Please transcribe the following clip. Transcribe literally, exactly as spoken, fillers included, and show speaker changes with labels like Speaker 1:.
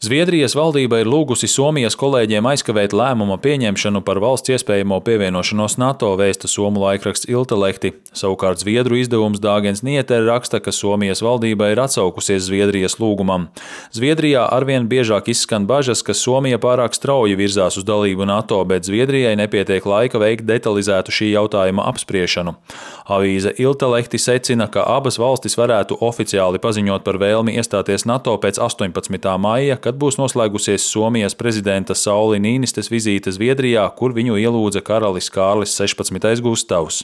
Speaker 1: Zviedrijas valdība ir lūgusi Somijas kolēģiem aizkavēt lēmuma pieņemšanu par valsts iespējamo pievienošanos NATO, vēsta somu laikraksts Iltalehti. Savukārt Zviedru izdevums Dāgens Nyheter raksta, ka Somijas valdība ir atsaukusies Zviedrijas lūgumam. Zviedrijā arvien biežāk izskan bažas, ka Somija pārāk strauji virzās uz dalību NATO, bet Zviedrijai nepietiek laika veikt detalizētu šī jautājuma apspriešanu. Avīze Iltalehti secina, ka abas valstis varētu oficiāli paziņot par vēlmi iestāties NATO pēc astoņpadsmitā maija, kad būs noslēgusies Somijas prezidenta Sauli Nīnistes vizīte Zviedrijā, kur viņu ielūdza karalis Kārlis sešpadsmitais Gustavs.